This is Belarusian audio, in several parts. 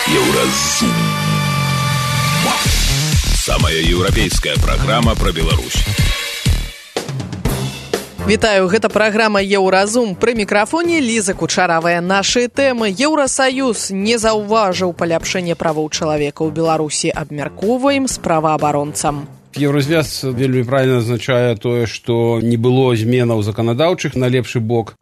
Еўразум. Самая еўрапейская праграма пра Беларусь. Вітаю, гэта праграма «Еўразум». Пры мікрафоне Ліза Кучаравая. Нашы тэмы. Еўрасаюз не заўважыў паляпшэнне правоў чалавека ў Беларусі. Абмяркоўваем з праваабаронцам. Еўразвяз вельмі правільна азначае тое, што не было зменаў заканадаўчых на лепшы бок.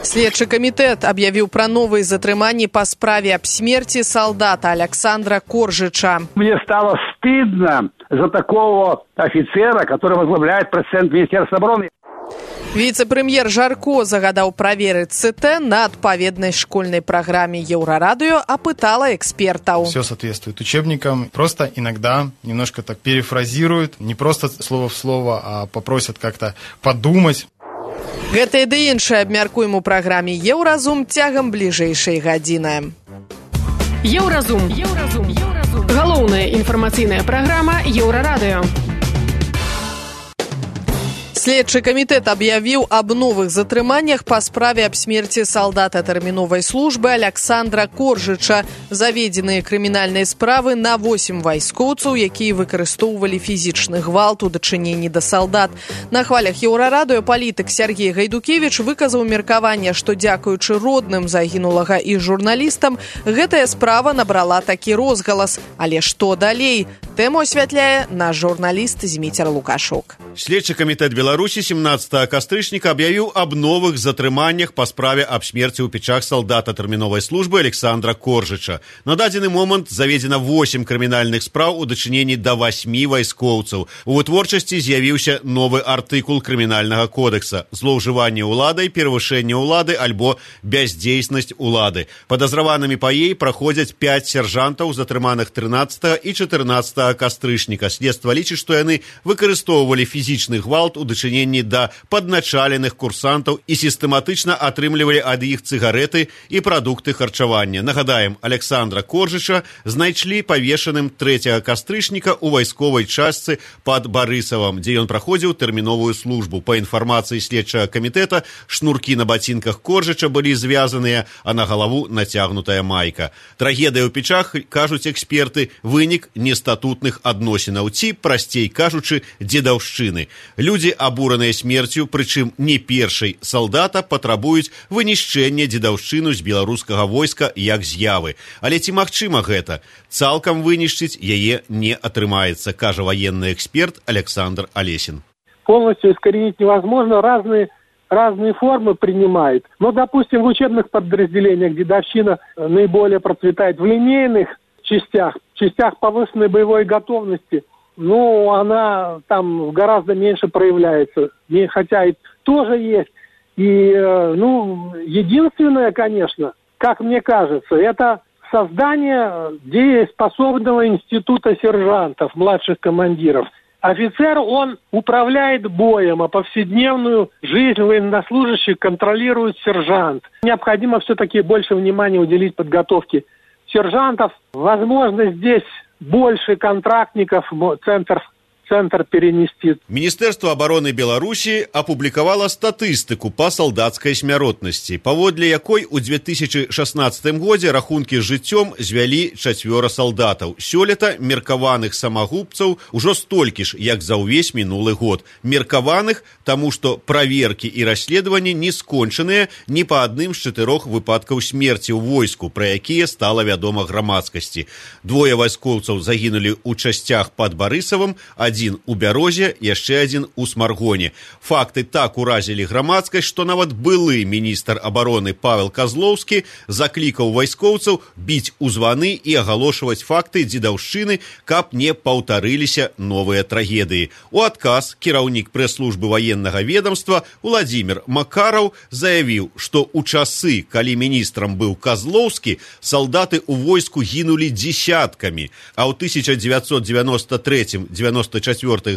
Следчы камітэт аб'явіў пра новыя затрыманні па справе аб смерці салдата Александра Коржича. Мне стало стыдно за такого офицера, который возглавляет пресс-центр Министерства обороны. Віцэ-прэм'ер Жарко загадаў праверыць ЦТ на адпаведнай школьнай праграме Еўрарадыё, апытала экспертаў. Все соответствует учебникам. Просто иногда немножко так перефразируют, не просто слово в слово, а попросят как-то подумать. Гэта і ды іншае абмяркуем у праграме «Еўразум» цягам бліжэйшай гадзіны. Еўразум. Галоўная інфармацыйная праграма Еўрарадыё. Следчы камітэт аб'явіў аб новых затрыманнях па справе аб смерці салдата тэрміновай службы Александра Коржича. Заведзеныя крымінальныя справы на 8 вайскоўцаў, якія выкарыстоўвалі фізічны гвалт у дачыненні да салдат. На хвалях Еўрарадыё палітык Сергей Гайдукевіч выказаў меркаванне, што дзякуючы родным загінулага і журналістам, гэтая справа набрала такі розгалас. Але што далей? Тэму асвятляе наш журналіст Зміцер Лукашук. Следчы камітэт Беларусі 17 кастрычніка аб'явіў аб новых затрыманнях па справе аб смерці ў печах салдата тэрміновай службы Александра Коржича. На дадзены момант заведзена 8 крымінальных спраў у дачыненні да 8 вайскоўцаў. У вытворчасці з'явіўся новы артыкул крымінальнага кодекса – злоўжыванне ўладай, перавышэнне ўлады альбо бяздзейснасць улады. Падазраванымі па ей праходзяць 5 сяржантаў, затрыманых 13 і 14 кастрычніка. Следства лічыць, што яны выкарыстоўвалі фізічны гвалт у дачыненні да падначаленых курсантаў і сістэматычна атрымлівалі ад іх цыгарэты і прадукты харчавання. Нагадаем, Александра Коржича знайшлі павешаным 3 кастрычніка ў вайсковай частцы пад Барысавам, дзе ён праходзіў тэрміновую службу. Па інфармацыі следчага камітэта, шнуркі на бацінках Коржича былі звязаныя, а на галаву нацягнутая майка. Трагедыя ў печах, кажуць эксперты, вынік нестатутных адносінаў ці, прасцей кажучы, дзедаўшчыны. Людзі, абураныя смерцю, прычым не першай салдата, патрабуюць вынішчэння дзедаўшчыну з беларускага войска як з'явы. Але ці магчыма гэта? Цалкам вынішчыць яе не атрымаецца, кажа военный эксперт Александр Олесин. Полностью искоренить невозможно, разные формы принимает. Но, допустим, в учебных подразделениях дедовщина наиболее процветает в линейных частях повышенной боевой готовности. Ну, она там гораздо меньше проявляется, хотя и тоже есть. И, единственное, конечно, как мне кажется, это создание дееспособного института сержантов, младших командиров. Офицер, он управляет боем, а повседневную жизнь военнослужащих контролирует сержант. Необходимо все-таки больше внимания уделить подготовке сержантов. Возможно, здесь больше контрактников, центр перенести. Міністэрства абароны Беларусі апублікавала статыстыку па салдацкай смяротнасці, паводле якой у 2016 годзе рахункі з жыццём звялі 4 салдатаў. Сёлета меркаваных самагубцаў ужо столькі ж, як за ўвесь мінулы год. Меркаваных, таму што праверкі і расследаванні не скончаныя ні па адным з 4 выпадкаў смерці ў войску, пра якія стала вядома грамадскасці. 2 вайскоўцаў загінулі ў часцях пад Барысавым, адзін у Бярозе, яшчэ адзін у Смаргоне. Факты так уразілі грамадскасць, што нават былы міністр абароны Павел Казлоўскі заклікаў вайскоўцаў біць у званы і агалошваць факты дзедаўшчыны, каб не паўтарыліся новыя трагедыі. У адказ кіраўнік прэс-службы ваеннага ведомства Уладзімір Макараў заявіў, што ў часы, калі міністрам быў Казлоўскі, салдаты ў войску гінулі дзесяткамі, а ў 1993-94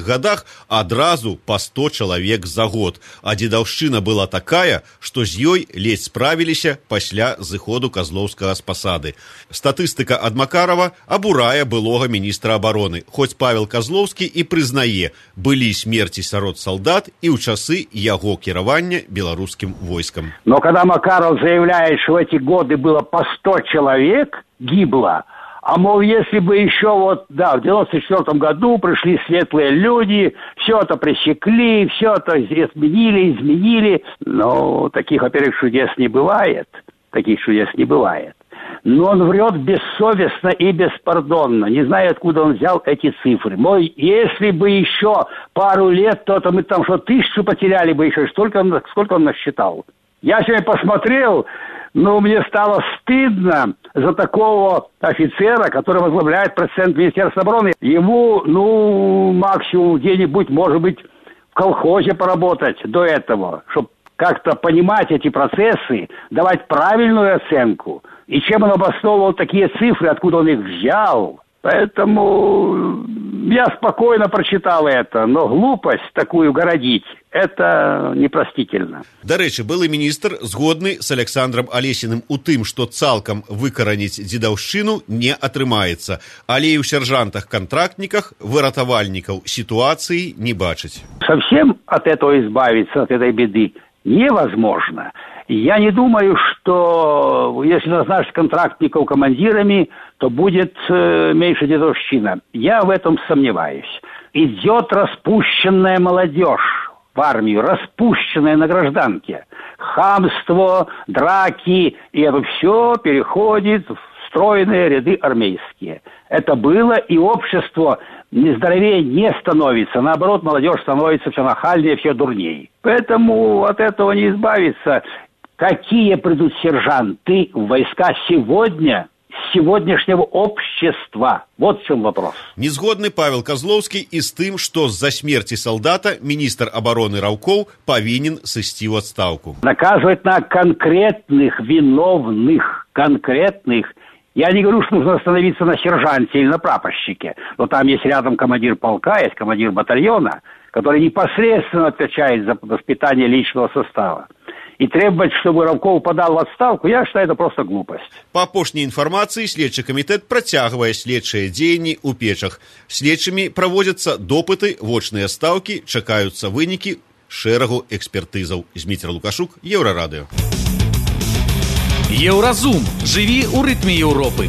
годах адразу па 100 чалавек за год. А дзедаўшчына была такая, што з ёй ледзь справіліся пасля зыходу Казлоўскага з пасады. Статыстыка ад Макарава абурае былога міністра абароны, хоць Павел Казлоўскі і прызнае, былі смерці сярод салдат і ў часы яго кіравання беларускім войскам. Но когда Макаров заявляет, что в эти годы было по 100 человек гибло, А мол, если бы еще в 94 году пришли светлые люди, все это пресекли, все это изменили. Но таких, во-первых, чудес не бывает. Но он врет бессовестно и беспардонно. Не знаю, откуда он взял эти цифры. Мой, если бы еще пару лет, то мы там 1000 потеряли бы еще. Сколько он насчитал? Я сегодня посмотрел, мне стало стыдно за такого офицера, который возглавляет процент Министерства обороны. Ему, максимум где-нибудь, может быть, в колхозе поработать до этого, чтобы как-то понимать эти процессы, давать правильную оценку. И чем он обосновывал такие цифры, откуда он их взял. Поэтому я спокойно прочитал это, но глупость такую городить – это непростительно. Дарэчы, былы міністр згодны з Александром Алесіным у тым, што цалкам выкараніць дзедаўшчыну не атрымаецца, але і ў сержантах-контрактниках, выратавальнікаў ситуации не бачыць. Совсем от этого избавиться, от этой беды невозможно. Я не думаю, что если назначить контрактников командирами, то будет меньше дедовщина. Я в этом сомневаюсь. Идет распущенная молодежь в армию, распущенная на гражданке. Хамство, драки, и это все переходит в стройные ряды армейские. Это было, и общество нездоровее не становится. Наоборот, молодежь становится все нахальнее, все дурнее. Поэтому от этого не избавиться. Какие придут сержанты в войска сегодня, с сегодняшнего общества? Вот в чем вопрос. Незгодны Павел Козловский и с тем, что за смерти солдата министр обороны Раўкоў повинен сысці в отставку. Наказывать на конкретных виновных, конкретных. Я не говорю, что нужно остановиться на сержанте или на прапорщике, но там есть рядом командир полка, есть командир батальона, который непосредственно отвечает за воспитание личного состава. И требовать, чтобы Раўкоў подал в отставку, я считаю, это просто глупость. По апошняй информации, следчий комитет працягвае следчыя дзеянні ў печах. Следчымі проводятся допыты, вочныя стаўкі, чакаюцца вынікі шэрагу экспертызаў. Зміцер Лукашук, Еўрарадыё. Еўразум. Жыві ў рытме Еўропы.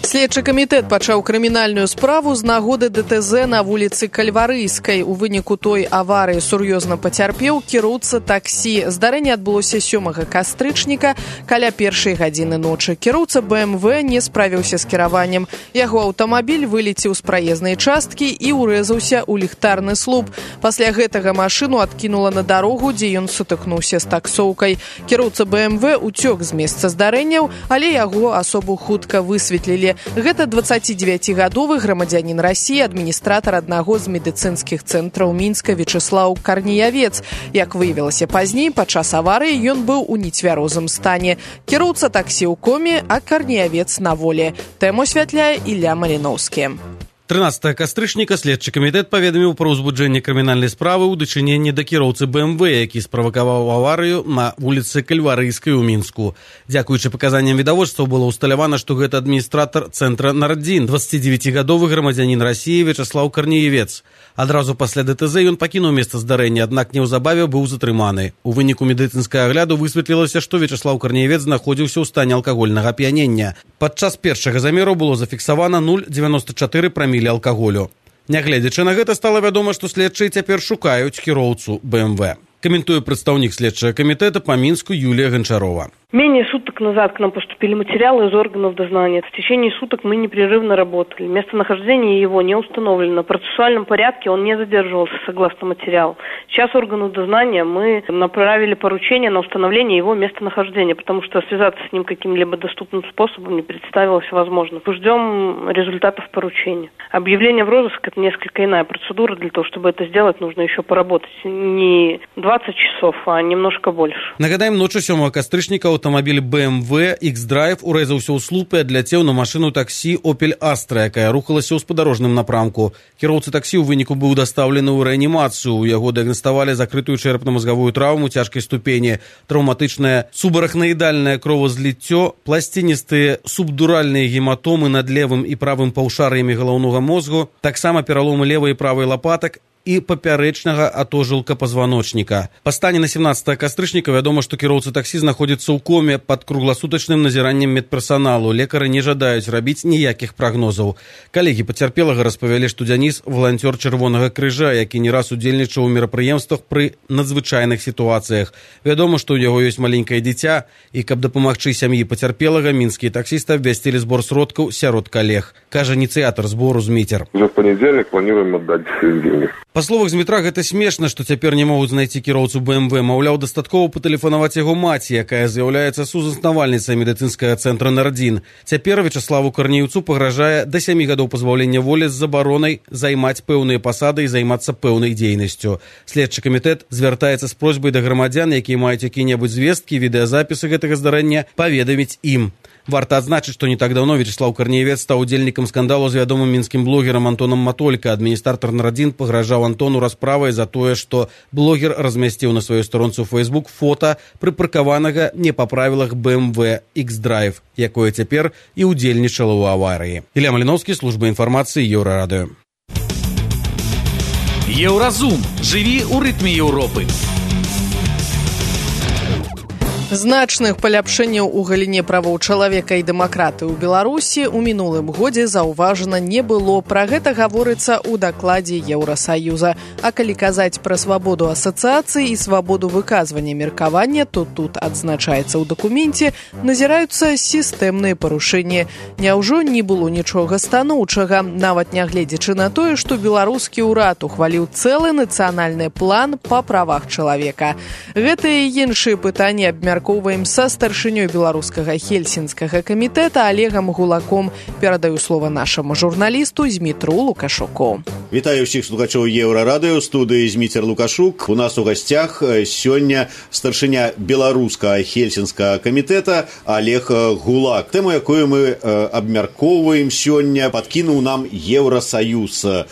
Следчы камітэт пачаў крымінальную справу з нагоды ДТЗ на вуліцы Кальварыйскай. У выніку той аварыі сур'ёзна пацярпеў кіроўца таксі. Здарэнне адбылося 7 кастрычніка каля 1 гадзіны ночы. Кіроўца БМВ не справіўся з кіраваннем. Яго аўтамабіль вылецеў з праезнай часткі і ўрэзаўся ў ліхтарны слуп. Пасля гэтага машыну адкінула на дарогу, дзе ён сутыкнуўся з таксоўкай. Кіроўца БМВ уцёк з месца здарэнняў, але яго асобу хутка высветлілі. Гэта 29-гадовы грамадзянін Расіі, адміністратар аднаго з медыцынскіх цэнтраў Мінска Вячеслаў Карніявец. Як выявілася пазней, падчас аварыі ён быў у нецвярозым стане. Кіроўца таксі ў коме, а Карніявец на волі. Тэму асвятляе Ілля Маліноўскі. 13 кастрычніка следчы камітэт паведаміў пра ўзбуджэнне крымінальнай справы ў дачыненні да кіроўцы БМВ, які справакаваў аварыю на вуліцы Кальварыйскай у Мінску. Дзякуючы паказанням відавочцаў было ўсталявана, што гэта адміністратар цэнтра Нардзін, 29-гадовы грамадзянін Расіі Вячеслаў Карніявец. Адразу пасля ДТЗ ён пакінуў месца здарэння, аднак неўзабаве быў затрыманы. У выніку медыцынскага агляду высветлілася, што Вячеслаў Карніявец знаходзіўся ў стане алкагольнага ап'янення. Падчас першага замеру было зафіксавана 0,94 прамілі алкаголю. Нягледзячы на гэта, стала вядома, што следчыя цяпер шукаюць кіроўцу БМВ. Каментуе прадстаўнік следчага камітэта па Мінску Юлія Гончарова. Менее суток назад к нам поступили материалы из органов дознания. В течение суток мы непрерывно работали. Местонахождение его не установлено. В процессуальном порядке он не задерживался согласно материалу. Сейчас органу дознания мы направили поручение на установление его местонахождения, потому что связаться с ним каким-либо доступным способом не представилось возможным. Ждем результатов поручения. Объявление в розыск – это несколько иная процедура. Для того, чтобы это сделать, нужно еще поработать. Не 20 часов, а немножко больше. Нагадаем, ночью 7 кастрычніка аўтамабіль BMW X-Drive урэзаўся ў слуп і адляцеў на машыну таксі Opel Astra, якая рухалася ў спадарожным напрамку. Кіроўца таксі ў выніку быў дастаўлены ў рэанімацыю. У яго дыягнаставалі закрытую чэрапна-мазгавую траўму цяжкай ступені, траўматычнае субарахнаідальнае кровазліццё, пласціністыя субдуральныя гематомы над левым і правым паўшар'ямі галаўнога мозгу, таксама пераломы левай і правай лапатак, і папярэчнага атожылка пазваночніка. Па стане на 17 кастрычніка вядома, што кіроўца таксі знаходзіцца ў коме пад кругласутачным назіраннем медперсаналу. Лекары не жадаюць рабіць ніякіх прагнозаў. Калегі пацярпелага распавялі, што Дзяніс – валанцёр Чырвонага крыжа, які не раз удзельнічаў у мерапрыемствах пры надзвычайных сітуацыях. Вядома, што ў яго ёсць маленькае дзіця, і каб дапамагчы сям'і пацярпелага, мінскія таксісты абвясцілі збор сродкаў сярод калег. Кажа ініцыятар збору Зміцер. Уже в понедельник планируем отдать деньги. Па словах Змітра, гэта смешна, што цяпер не могуць знайсці кіроўцу БМВ. Маўляў, дастаткова патэлефанаваць яго маці, якая з'яўляецца сузаснавальніцай медыцынскага цэнтра «Нардзін». Цяпер Вячаславу Карнеўцу пагражае да 7 гадоў пазбаўлення волі з забаронай займаць пэўныя пасады і займацца пэўнай дзейнасцю. Следчы камітэт звяртаецца з просьбай да грамадзян, якія маюць якія-небудзь звесткі, відэазапісы гэтага здарэння, паведаміць ім. Варта адзначыць, што не так даўно Вячаслаў Карнеевец стаў удзельнікам скандалу з вядомым мінскім блогерам Антонам Матолька. Адміністратар «Нардзін» пагражаў Антону расправай за тое, што блогер размясціў на сваёй старонцы ў Facebook фота прыпаркаванага не па правілах BMW X-Drive, якое цяпер і ўдзельнічала ў аварыі. Ілля Маліноўскі, служба інфармацыі, Еўрарадыё. Еўразум. Жыві ў рытме Еўропы. Значных паляпшэнняў у галіне правоў чалавека і дэмакратыі ў Беларусі ў мінулым годзе заўважана не было. Пра гэта гаворыцца ў дакладзе Еўрасаюза. А калі казаць пра свабоду асацыяцыі і свабоду выказвання меркавання, то тут адзначаецца ў дакуменце назіраюцца сістэмныя парушэнні. Няўжо не было нічога станоўчага, нават нягледзячы на тое, што беларускі ўрад ухваліў цэлы нацыянальны план па правах чалавека. Гэтыя і іншыя пытанні абмяркоўваем са старшынёй беларускага хельсінскага камітэта Олегам Гулаком. Перадаю слова нашаму журналісту Змітру Лукашуку. Вітаю ўсіх слухачоў Еўрарадыё, студыі Зміцер Лукашук. У нас у гасцях сёння старшыня беларускага хельсінскага камітэта Олег Гулак. Тэму, якую мы абмяркоўваем сёння, падкінуў нам Еўрасаюз.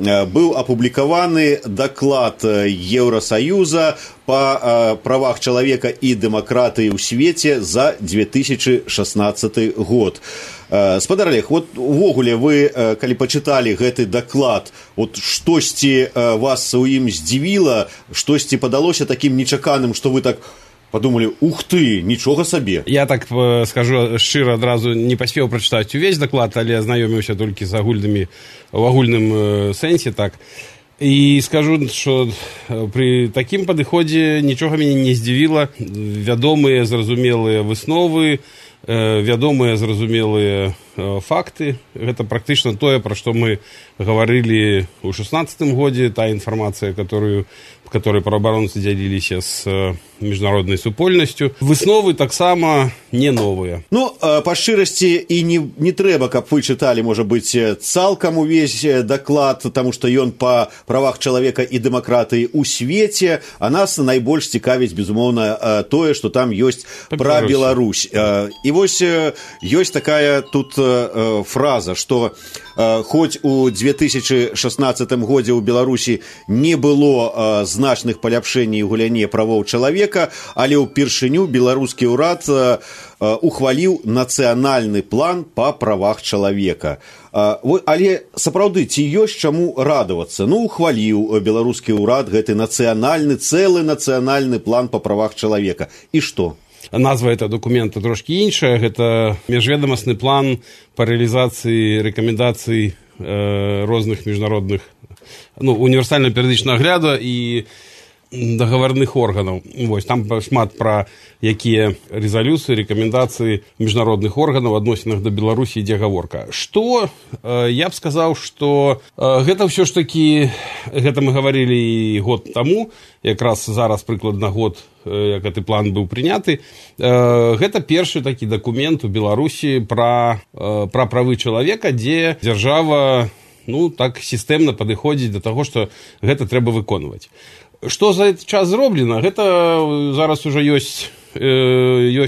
Быў апублікаваны даклад Еўрасаюза па правах чалавека і дэмакратыі ў свеце за 2016 год. Спадар Олег, вот увогуле вы, калі пачыталі гэты даклад, вот штосьці вас у ім здзівіла, штосьці падалося такім нечаканым, што вы так подумали, ух ты, нічога сабе. Я так скажу шчыра, адразу не паспеў прачытаць увесь даклад, але азнаёміўся толькі з агульнымі в агульным сэнсе, так. І скажу, што пры такім падыходзе нічога мяне не здзівіла. Вядомыя, зразумелыя высновы, вядомыя, зразумелыя факты. Гэта практычна тое, пра што мы гаварылі ў 16 годзе, та інфармацыя, которой праабаронцы дзяліліся з міжнароднай супольнасцю. Высновы таксама не новыя. Ну, па шчырасці і не трэба, каб вы чыталі, можа быць, цалкам увесь даклад, таму што ён па правах чалавека і дэмакратыі ў свеце, а нас найбольш цікавіць, безумоўна, тое, што там ёсць пра Беларусь. І вось ёсць такая тут фраза, што хоць у 2016 годзе ў Беларусі не было значных паляпшэнняў у галіне правоў чалавека, але ўпершыню беларускі ўрад ухваліў нацыянальны план па правах чалавека. Але сапраўды, ці ёсць чаму радавацца? Ну, ухваліў беларускі ўрад гэты цэлы нацыянальны план па правах чалавека. І што? Назва этого документа трошки іншая. Гэта міжведамасны план па рэалізацыі рэкамендацый розных міжнародных, універсальна перыядычнага агляду і дагаварных органаў. Вось, там шмат пра якія рэзалюцыі, рэкамендацыі міжнародных органаў адносінах да Беларусі ідзе гаворка. Што я б сказаў, што гэта ўсё ж такі, гэта мы гаварылі і год таму, якраз зараз прыкладна год, як гэты план быў прыняты. Гэта першы такі дакумент у Беларусі пра правы чалавека, дзе дзяржава так сістэмна падыходзіць да таго, што гэта трэба выконваць. Што за этот час зроблена? Гэта зараз уже ёсць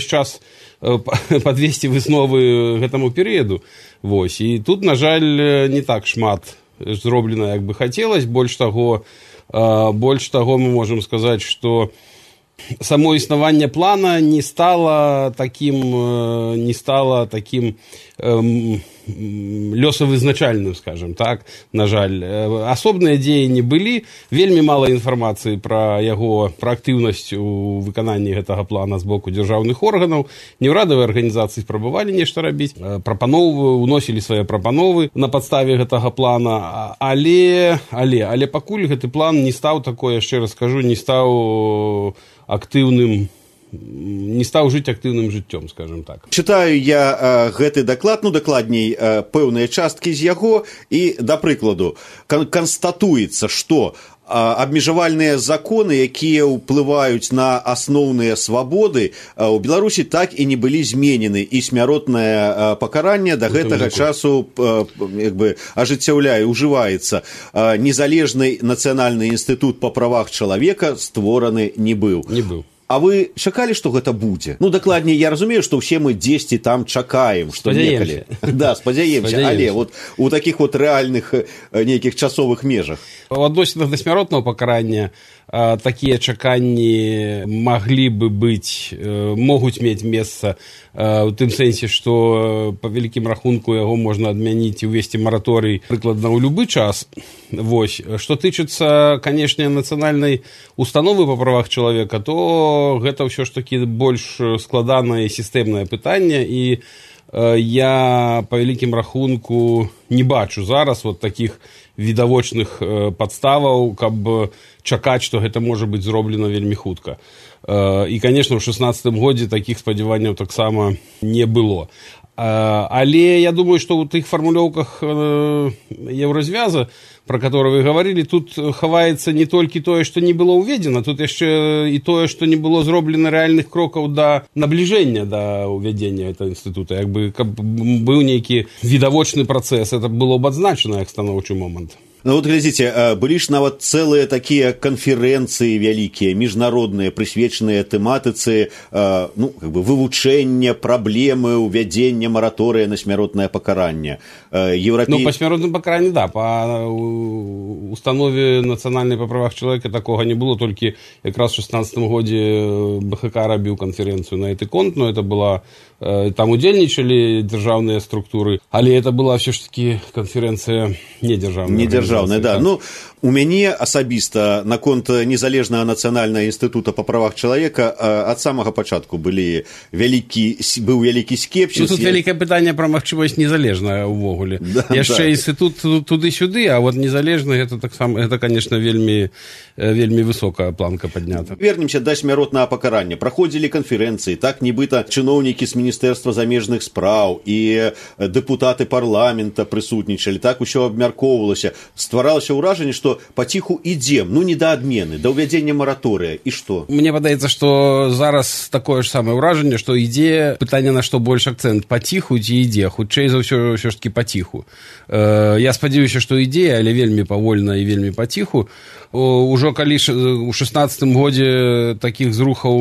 час падвесці высновы гэтаму перыяду. Вось. І тут, на жаль, не так шмат зроблена, як бы хацелось. Больш таго, мы можам сказаць, што само існаванне плана не стала такім лёсавызначальным, скажем так, на жаль. Асобныя дзеянні былі, вельмі мала інфармацыі пра актыўнасць у выкананні гэтага плана з боку дзяржаўных органаў. Неўрадавыя арганізацыі спрабавалі нешта рабіць, уносілі свае прапановы на падставе гэтага плана, але пакуль гэты план не стаў такое, яшчэ раз скажу, не стаў жыць актыўным жыццём, скажем так. Чытаю я гэты даклад, дакладней, пэўныя часткі з яго, і, да прыкладу, канстатуецца, што абмежавальныя законы, якія ўплываюць на асноўныя свабоды, у Беларусі так і не былі зменены, і смяротнае пакаранне да гэтага часу ужываецца. Незалежны нацыянальны інстытут па правах чалавека створаны не быў. А вы чакалі, што гэта будзе? Дакладней, я разумею, што ўсе мы дзесьці там чакаем, што некалі. Да, спадзяемся, але у такіх рэальных нейкіх часовых межах. У адносінах да смяротнага пакарання такія чаканні могуць мець месца у тым сэнсе, што па вялікім рахунку яго можна адмяніць і ўвесці мараторый прыкладна ў любы час. Што тычыцца, канешне, нацыянальнай установы па правах чалавека, то гэта ўсё ж такі больш складанае і сістэмнае пытанне, і я па вялікім рахунку не бачу зараз такіх відавочных падставаў, каб чакаць, што гэта можа быць зроблена вельмі хутка. І, канешне, ў 16 годзе такіх спадзяванняў таксама не было. Але я думаю, што ў тых фармулёўках еўразвяза, про которые вы говорили, тут хаваецца не толькі тое, што не было ўведзена, тут яшчэ і тое, што не было зроблена рэальных крокаў да набліжэння да ўвядзення этого інстытута. Каб быў нейкі відавочны працэс, это было б адзначана як станоўчы момант. Глядзіце, былі ж нават цэлыя такія канферэнцыі вялікія, міжнародныя, прысвечаныя тэматыцы вывучэння праблемы ўвядзення мараторыя на смяротнае пакаранне. Па смяротным пакаранні, да, па установе нацыянальнай па правах чалавека такога не было, толькі якраз у 16 годзе БХК рабіў канферэнцыю на гэты конт, это была, там удзельнічалі дзяржаўныя структуры, але это была ўсё ж такі канферэнцыя недзяржаўная. Да. У мяне асабіста наконт незалежнага нацыянальнага інстытута па правах чалавека ад самага пачатку быў вялікі скепсіс. Тут вялікае пытанне пра магчымасць незалежнага ўвогуле. Яшчэ інстытут туды-сюды, а незалежны гэта, конечно, вельмі высокая планка паднята. Вернемся да смяротнага пакарання. Праходзілі канферэнцыі, так нібыта чыноўнікі з Міністэрства замежных спраў і дэпутаты парламента прысутнічалі, так усё абмяркоўвалася. Стваралася ўражанне, што паціху ідзем, не да адмены, да ўвядзення мараторыя, і што? Мне падаецца, што зараз такое ж самае ўражанне, што ідзе пытанне, на што больш акцэнт, паціху ці ідзе, хутчэй за ўсё ж такі паціху. Я спадзяюся, што ідзе, але вельмі павольна і вельмі паціху. Ужо калі у 16 годзе такіх зрухаў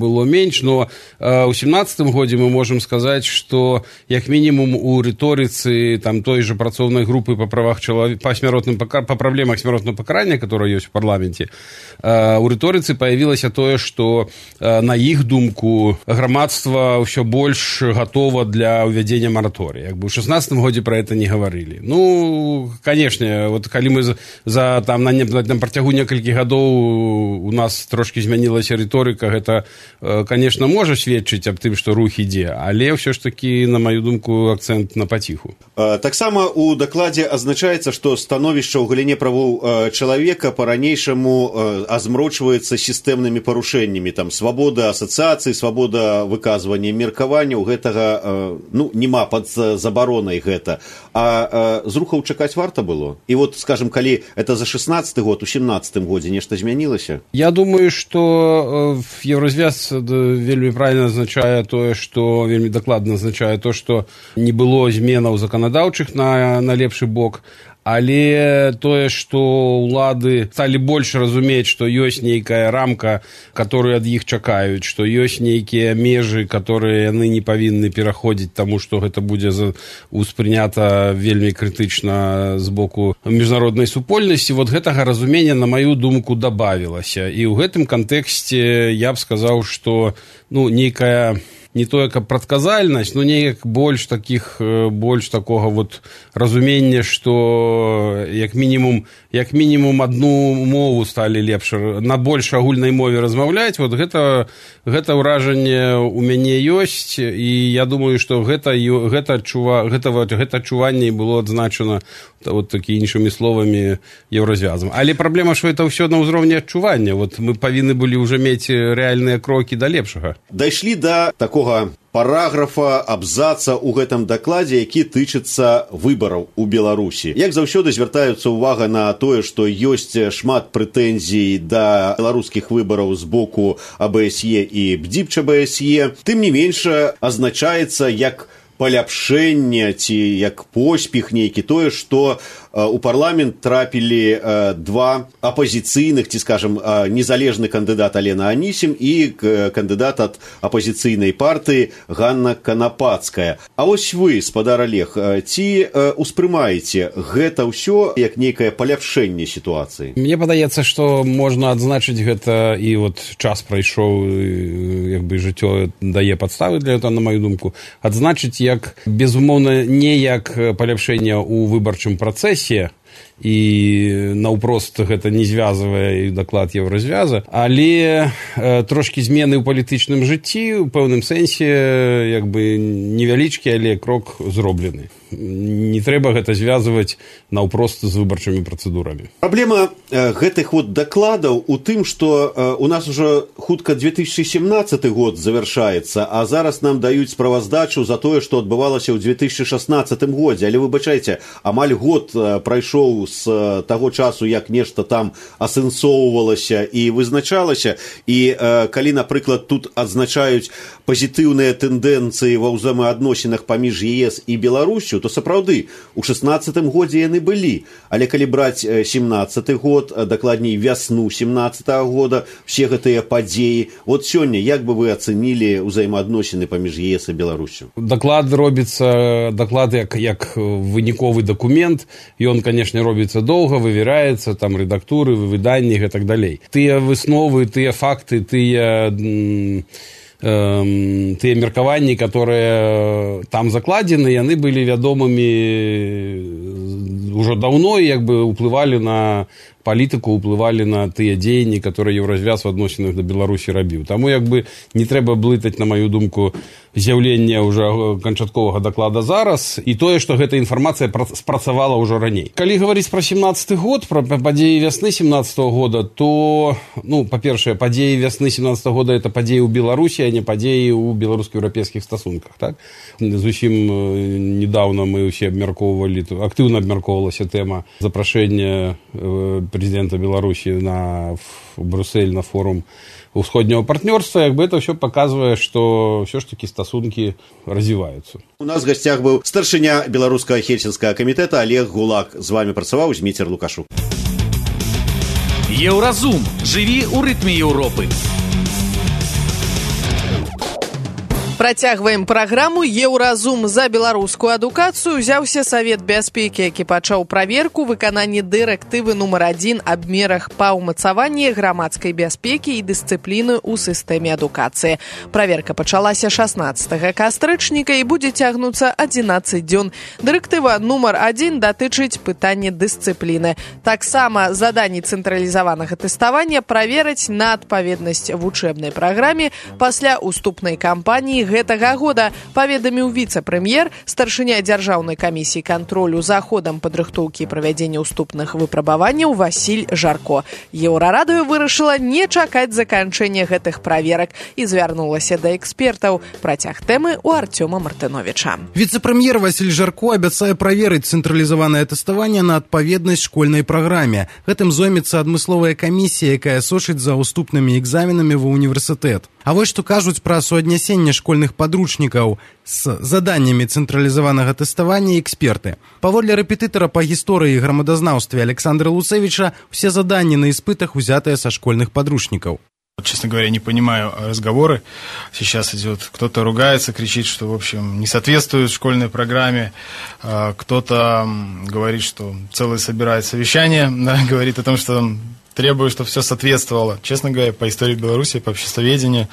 было менш, но у 17 годзе мы можам сказаць, што як мінімум у рыторыцы той же працоўнай групы па правах чалавека, по проблемах смертного покарания, которое есть в парламенте, у рыторыцы появилось то, что на их думку громадство все больше готово для увядзення моратория. У 16 году про это не говорили. Конечно, коли мы на працягу некалькіх гадоў у нас трошки змянілася рыторыка, гэта, конечно, можа сведчыць аб тым, што рух ідзе, але ўсё ж таки, на мою думку, акцент на паціху. Таксама у дакладзе азначаецца, што становішча ў галіне правоў чалавека па-ранейшаму азмрочваецца сістэмнымі парушэннямі, свабода асацыяцыі, свабода выказвання меркавання, у гэтага нема пад забаронай гэта. А з рухаў чакаць варта было? І скажем, калі это за 16 год, у 17 годзе нешта змянілася? Я думаю, што Еўразвяз вельмі правильно азначае тое, што вельмі дакладна азначае то, што не было зменаў заканадаўчых на лепшы бок, але тое, што ўлады сталі больш разумець, што ёсць нейкая рамка, которую ад іх чакаюць, што ёсць нейкія межы, которые яны не павінны пераходзіць, таму што гэта будзе успрынята вельмі крытычна з боку міжнароднай супольнасці. Гэтага разумення, на маю думку, дабавілася. І ў гэтым кантэксце я б сказаў, што нейкая не тое каб прадказальнасць, но неяк больш такога вот разумення, што як мінімум адну мову сталі лепш на больш агульнай мове размаўляць. Вот гэта ўражанне у мяне ёсць, і я думаю, што гэта адчуванне было адзначана вот такі іншымі словамі еўразвязам. Але праблема, што это ўсё на ўзроўні адчування. Вот мы павінны былі ўжо мець рэальныя крокі да лепшага. Дайшлі да такога параграфа, абзаца ў гэтым дакладзе, які тычыцца выбараў у Беларусі. Як заўсёды звяртаюцца ўвага на тое, што ёсць шмат прэтэнзій да беларускіх выбараў з боку АБСЕ і БДИПЧ АБСЕ. Тым не менш, азначаецца як паляпшэнне ці як поспех нейкі тое, што у парламент трапілі два апазіцыйных, ці, скажам, незалежны кандыдат Алена Анісім і кандыдат ад апазіцыйнай партыі Ганна Канапацкая. А вось вы, спадар Олег, ці успрымаеце гэта ўсё як нейкае паляпшэнне сітуацыі? Мне падаецца, што можна адзначыць гэта, і вот час прайшоў, як бы жыццё дае падставы для этого, на маю думку, адзначыць як, безумоўна, не як паляпшэнне ў выбарчым працэсе, і наўпрост гэта не звязвае і даклад еўразвяза, але трошкі змены ў палітычным жыцці, у пэўным сэнсе, як бы невялічкі, але крок зроблены. Не трэба гэта звязваць наўпрост з выбарчымі працэдурамі. Праблема гэтых вот дакладаў у тым, што у нас ужо хутка 2017 год завяршаецца, а зараз нам даюць справаздачу за тое, што адбывалася ў 2016 годзе. Але выбачайце, амаль год прайшоў з таго часу, як нешта там асэнсоўвалася і вызначалася. І калі, напрыклад, тут адзначаюць пазітыўныя тэндэнцыі ва ўзаемаадносінах паміж ЕС і Беларусю, то сапраўды у 16-м годзе яны былі. Але калі браць 17-й год, дакладней вясну 17-го года, все гэтыя падзеі, вот сёння як бы вы ацэнілі ўзаемаадносіны паміж ЕС і Беларусю? Даклад робіцца, даклад як выніковы дакумент, ён, канешне, робіцца доўга, вывяраецца, там рэдактуры, выданні і так далей. Тыя высновы, тыя факты, тыя меркаванні, которые там закладзены, яны былі вядомымі ўжо даўно, як бы ўплывалі на палітыку, ўплывалі на тыя дзеянні, которые еўразвяз у адносінах да Беларусі рабіў. Таму як бы не трэба блытаць, на маю думку, з'яўленне ўжо канчатковага даклада зараз і тое, што гэта інфармацыя спрацавала ўжо раней. Калі гаварыць пра 17-й год, пра падзеі вясны 17-го года, то, па-першае, падзеі вясны 17-го года это падзеі ў Беларусі, а не падзеі ў беларуска-еўрапейскіх стасунках, так? Зусім недавно мы ўсе абмяркоўвалі, актыўна абмяркоўвалася тэма запрашэння президента Беларуси в Брюссель на форум усходнего партнерства, як бы это все показывает, что все ж таки стасунки развиваются. У нас в гостях был старшыня беларускага хельсінскага камітэта Олег Гулак. З вами працаваў Зміцер Лукашук. Еўразум. Жыві ў рытме Еўропы. Працягваем праграму. Еўразум. За беларускую адукацыю ўзяўся Савет бяспекі, які пачаў праверку выканання дырэктывы нумар 1 аб мерах па ўмацаванні грамадскай бяспекі і дысцыпліны ў сістэме адукацыі. Праверка пачалася 16 кастрычніка і будзе цягнуцца 11 дзён. Дырэктыва нумар 1 датычыць пытання дысцыпліны. Таксама заданні цэнтралізаванага тэставання праверыць на адпаведнасць вучэбнай праграме пасля уступнай кампаніі гэтага года, паведаміў віцэ-прэм'ер, старшыня дзяржаўнай камісіі кантролю за ходам падрыхтоўкі і правядзення уступных выпрабаванняў Васіль Жарко. Еўрарадыё вырашыла не чакаць заканчэння гэтых праверак і звярнулася да экспертаў. Працяг тэмы у Артёма Мартыновіча. Віцэ-прэм'ер Васіль Жарко абяцае праверыць цэнтралізаванае тэставанне на адпаведнасць школьнай праграме. Гэтым зоймецца адмысловая камісія, якая сочыць за уступнымі экзаменамі ва універсітэт. А вось што кажуць пра суаднясенне школьных падручнікаў з заданнямі цэнтралізаванага тэставання эксперты. Паводле рэпетытара па гісторыі і грамадазнаўстве Александра Луцевича, все заданні на испытах узятыя са школьных подручников. Честно говоря, не понимаю разговоры. Сейчас идет, кто-то ругается, кричит, что, в общем, не соответствует школьной программе. Кто-то говорит, что целое собирает совещание, да, говорит о том, что требую, чтобы все соответствовало. Честно говоря, по истории Беларуси, по обществоведению,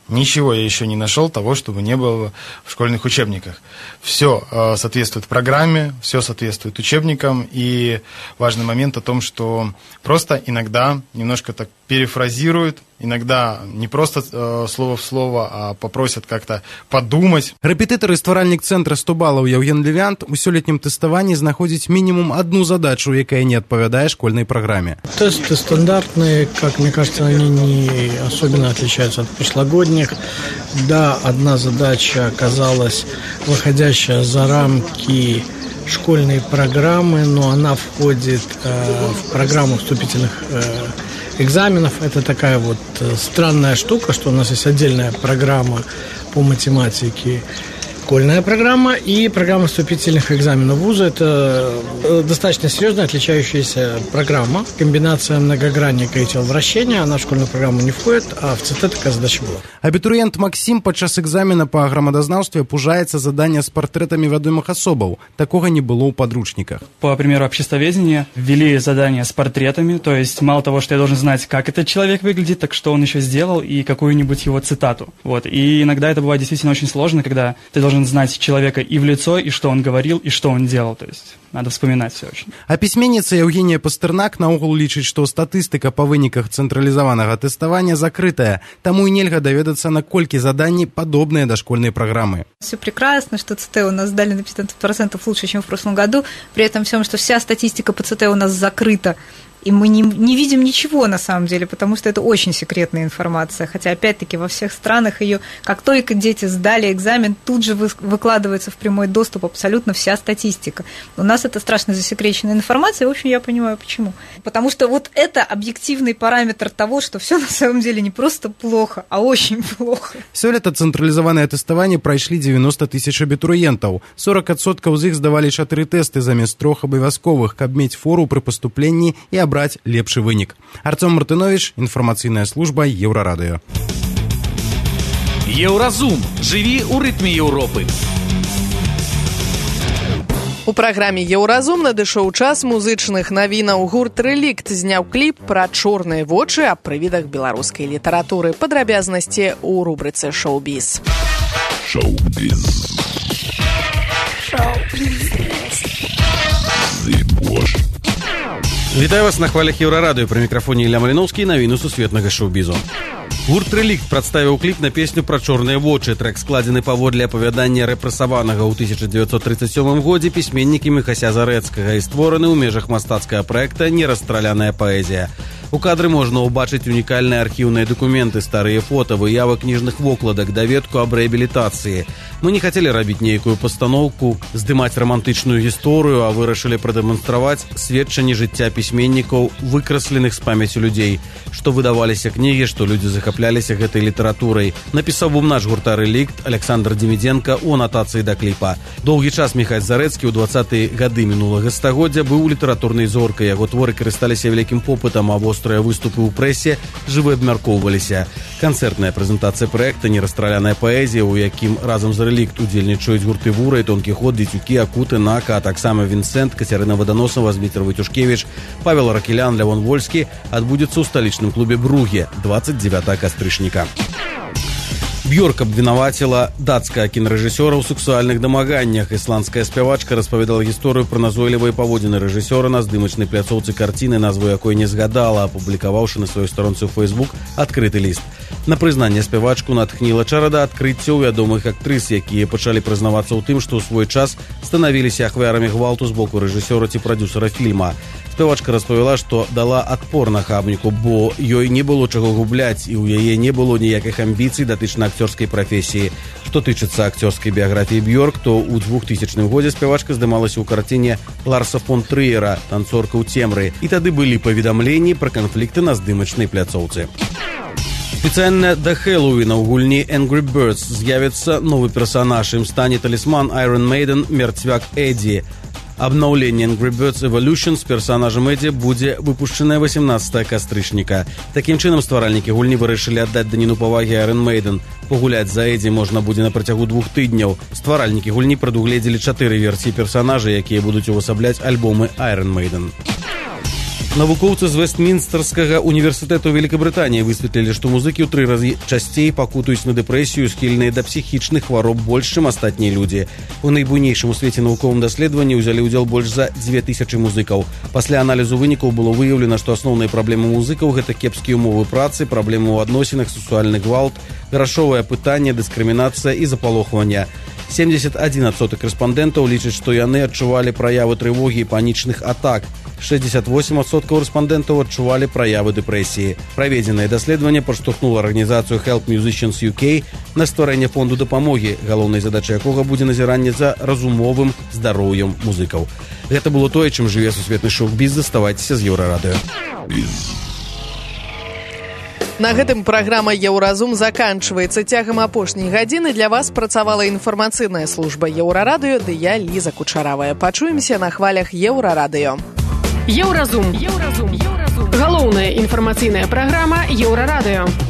ничего я еще не нашел того, чтобы не было в школьных учебниках. Все соответствует программе, все соответствует учебникам, и важный момент о том, что просто иногда немножко так перефразируют, иногда не просто слово в слово, а попросят как-то подумать. Рэпетытар і стваральнік цэнтра 100 балаў Яўген Левянт у сёлетнім тэставанні знаходзіць мінімум одну задачу, якая не адпавядае школьной программе. Тесты стандартные, как мне кажется, они не особенно отличаются от прошлогодних. Да, одна задача оказалась выходящая за рамки школьной программы, но она входит в программу вступительных экзаменов. Это такая вот странная штука, что у нас есть отдельная программа по математике, школьная программа, и программа вступительных экзаменов вуза. Это достаточно серьезная отличающаяся программа. Комбинация многогранника и теловращения. Она в школьную программу не входит, а в ЦТ такая задача была. Абітурыент Максим падчас экзамена па грамадазнаўстве пужаецца задання з партрэтамі вядомых асобаў. Такога не было ў подручниках. По примеру обществоведения ввели задание с портретами, то есть мало того, что я должен знать, как этот человек выглядит, так что он еще сделал и какую-нибудь его цитату. Вот. И иногда это бывает действительно очень сложно, когда ты должен знать человека и в лицо, и что он говорил, и что он делал. То есть надо вспоминать все очень. А пісьменніца Евгения Пастернак наогул лічыць, што статыстыка па выніках цэнтралізаванага тэставання закрытая, таму і нельга даведацца, наколькі заданні падобныя да школьной программы. Все прекрасно, что ЦТ у нас сдали на 15% лучше, чем в прошлом году, при этом всем, что вся статистика по ЦТ у нас закрыта. И мы не видим ничего на самом деле, потому что это очень секретная информация. Хотя, опять-таки, во всех странах ее, как только дети сдали экзамен, тут же выкладывается в прямой доступ абсолютно вся статистика. У нас это страшно засекреченная информация, и, в общем, я понимаю, почему. Потому что вот это объективный параметр того, что все на самом деле не просто плохо, а очень плохо. Сёлета цэнтралізаванае тэставанне прайшлі 90 тысяч абітурыентаў. 40% з іх здавалі 4 тэсты замест 3 абавязковых, каб мець фору пры паступленні і брать лепшы вынік. Артём Мартынович, інфармацыйная служба Еўрарадыё. Еўразум. Жыві ў рытме Еўропы. У праграме «Еўразум» надышоў час музычных навінаў. Гурт «Рэлікт» зняў кліп пра чорныя вочы аб прывідах беларускай літаратуры. Падрабязнасці ў рубрыцы «Шоу-біз». Шоу-біз. Вітаю вас на хвалях Еўрарадыё. Пры мікрафоне Ілля Маліноўскі, навіны сусветнага шоу-бізу. Гурт «Рэлікт» прадставіў кліп на песню пра чорныя вочы. Трэк складзены паводле апавядання рэпрэсаванага ў 1937 годзе пісьменнікамі Хася Зарэцкага і створаны ў межах мастацкага праекта «Нерастраляная паэзія». У кадры можна ўбачыць унікальныя архіўныя дакументы, старыя фота, выявы кніжных вокладак, даведку аб рэабілітацыі. Мы не хацелі рабіць нейкую пастаноўку, здымаць рамантычную гісторыю, а вырашылі прадэманстраваць сведчанні жыцця пісьменнікаў, выкрасленых з памяцю людзей, што выдаваліся кнігі, што людзі захапляліся гэтай літаратурай. Напісаў бумнач гурта «Рэлікт» Александр Демідзенка ў анатацыі да кліпа. Доўгі час Міхась Зарэцкі ў 20-е гады мінулага стагоддзя быў літаратурнай зоркай. Яго творы карысталіся вялікім попытам, а вострыя выступы ў прэсе жывы абмяркоўваліся. Канцэртная прэзентацыя праекта «Нерастраляная паэзія», у якім разам з «Рэлікт» удзельнічаюць гурты «Вура» і «Тонкі ход», «Дзецюкі», «Акуты», «Нака», а таксама «Вінсент», Кацярына Ваданосава, Зміцер Вайтюшкевіч, Павел Ракелян, Лявон Вольскі адбудзецца ў сталічным клубе «Бруге» 29 кастрычніка. Бьорк абвінаваціла дацкага кінарэжысёра ў сексуальных дамаганнях. Ісландская спявачка распавядала гісторыю пра назойлівыя паводзіны рэжысёра на здымачнай пляцоўцы карціны, назву якой не згадала, апублікаваўшы на сваёй старонцы ў Facebook адкрыты ліст. На прызнанне спявачку натхніла чарада адкрыццяў вядомых актрыс, якія пачалі прызнавацца ў тым, што ў свой час станавіліся ахвярамі гвалту з боку рэжысёра ці прадзюсара фільма. Спявачка распавяла, што дала адпор нахабніку, бо ёй не было чаго губляць і ў яе не было ніякіх амбіцый датычна акцёрскай прафесіі. Што тычыцца акцёрскай біяграфіі Бьорк, то ў 2000 годзе спявачка здымалася ў карціне Ларса фон Трыера «Танцорка ў цемры», і тады былі паведамленні пра канфлікты на здымачнай пляцоўцы. Спецыяльна да Хэллоуіна ў гульні Angry Birds з'явіцца новы персанаж. Ім стане талісман Iron Maiden «Мерцвяк Эдді». Абнаўленне Angry Birds Evolution з персанажам Эдді будзе выпушчанае 18 кастрычніка. Такім чынам стваральнікі гульні вырашылі аддаць даніну павагі Iron Maiden. Пагуляць за Эдді можна будзе на працягу 2 тыдняў. Стваральнікі гульні прадугледзелі 4 версіі персанажа, якія будуць увасабляць альбомы Iron Maiden. Навукоўцы з Вестмінстэрскага універсітэту Великабрытаніі высветлілі, што музыкі ў 3 разы часцей пакутаюць на дэпрэсію, схільныя да псіхічных хвароб больш, чым астатнія людзі. У найбуйнейшым у свеце навуковым даследаванні ўзялі ўдзел больш за 2000 музыкаў. Пасля аналізу вынікаў было выяўлена, што асноўныя праблемы музыкаў – гэта кепскія ўмовы працы, праблемы ў адносінах, сексуальны гвалт, грашовае пытанне, дыскрымінацыя і запалохванне. 71% рэспандэнтаў лічаць, што яны адчувалі праявы трывогі і панічных атак. 68% рэспандэнтаў адчувалі праявы дэпрэсіі. Праведзенае даследаванне падштурхнула арганізацыю Help Musicians UK на стварэнне фонду дапамогі, галоўнай задачай якога будзе назіранне за разумовым здароўем музыкаў. Гэта было тое, чым жыве сусветны шоу-біз. Заставайцеся з Еўрарадыё. На гэтым праграма «Еўразум» заканчваецца. Цягам апошняй гадзіны для вас працавала інфармацыйная служба Еўрарадыё, ды я Ліза Кучаравая. Пачуемся на хвалях Еўрарадыё. Еўразум. Галоўная інфармацыйная праграма Еўрарадыё.